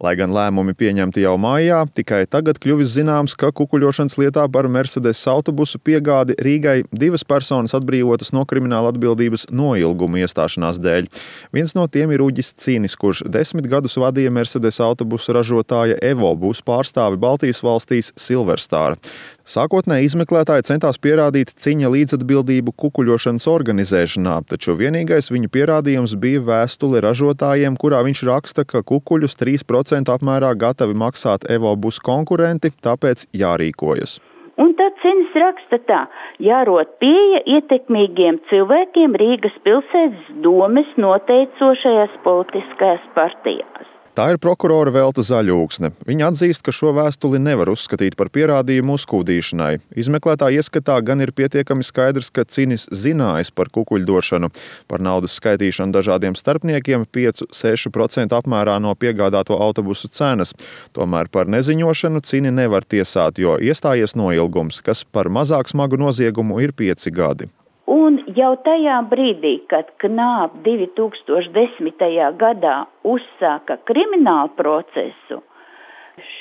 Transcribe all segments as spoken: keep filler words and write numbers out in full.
Lai gan lēmumi pieņemti jau maijā, tikai tagad kļuvis zināms, ka kukuļošanas lietā par Mercedes autobusu piegādi Rīgai divas personas atbrīvotas no krimināla atbildības noilguma iestāšanās dēļ. Viens no tiem ir Uģis Cinis, kurš desmit gadus vadīja Mercedes autobusu ražotāja Evo būs pārstāvi Baltijas valstīs Silverstar. Sākotnēji izmeklētāji centās pierādīt Ciņa līdzatbildību kukuļošanas organizēšanā, taču vienīgais viņa pierādījums bija vēstule ražotājiem, kurā viņš raksta, ka kukuļus trīs procenti apmērā gatavi maksāt Evo būs konkurenti, tāpēc jārīkojas. Un tad Cinis raksta tā: jārod pieeja ietekmīgiem cilvēkiem Rīgas pilsētas domes noteicošajās politiskajās partijās. Tā ir prokurora Velta Zaļūksne. Viņa atzīst, ka šo vēstuli nevar uzskatīt par pierādījumu uzkūdīšanai. Izmeklētāja ieskatā gan ir pietiekami skaidrs, ka Cinis zinājas par kukuļdošanu, par naudas skaitīšanu dažādiem starpniekiem pieci līdz seši procenti apmērā no piegādāto autobusu cenas. Tomēr par neziņošanu Cini nevar tiesāt, jo iestājies noilgums, kas par mazāk smagu noziegumu ir pieci gadi. Un jau tajā brīdī, kad Knāp divi tūkstoši desmitajā gadā uzsāka kriminālu procesu,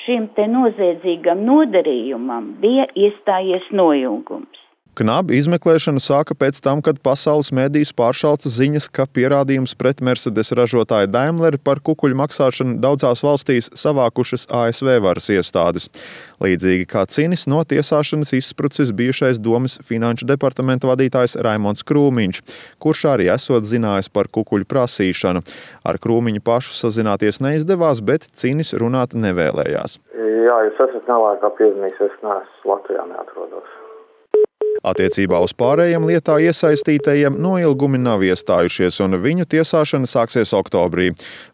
šim te noziedzīgam nodarījumam bija iestājies noilgums. Knāp izmeklēšanu sāka pēc tam, kad pasaules medijus pāršalca ziņas, ka pierādījums pret Mercedes ražotāju Daimleri par kukuļu maksāšanu daudzās valstīs savākušas A S V varas iestādes. Līdzīgi kā Cinis, no tiesāšanas izsprucis bijušais domes finanšu departamenta vadītājs Raimonds Krūmiņš, kurš arī esot zinājis par kukuļu prasīšanu. Ar Krūmiņu pašu sazināties neizdevās, bet Cinis runāt nevēlējās. Jā, jūs esat nelākā piezīmīs, es neesmu Latvijā neatrodos. Attiecībā uz pārējiem lietā iesaistītajiem noilgumi nav iestājušies, un viņu tiesāšana sāksies oktobrī.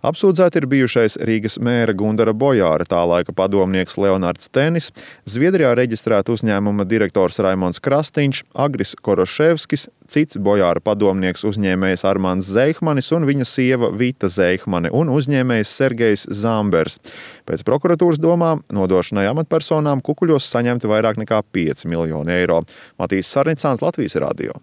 Apsūdzēti ir bijušais Rīgas mēra Gundara Bojāra, tā laika padomnieks Leonards Tenis, Zviedrijā reģistrēta uzņēmuma direktors Raimonds Krastiņš, Agris Koroševskis, cits Bojāra padomnieks uzņēmējs Armands Zeihmanis un viņa sieva Vita Zeihmane un uzņēmējs Sergejs Zambers. Pēc prokuratūras domām nodošanai amatpersonām kukuļos saņemti vairāk nekā pieci miljoni eiro. Matīs Sarnicāns, Latvijas radio.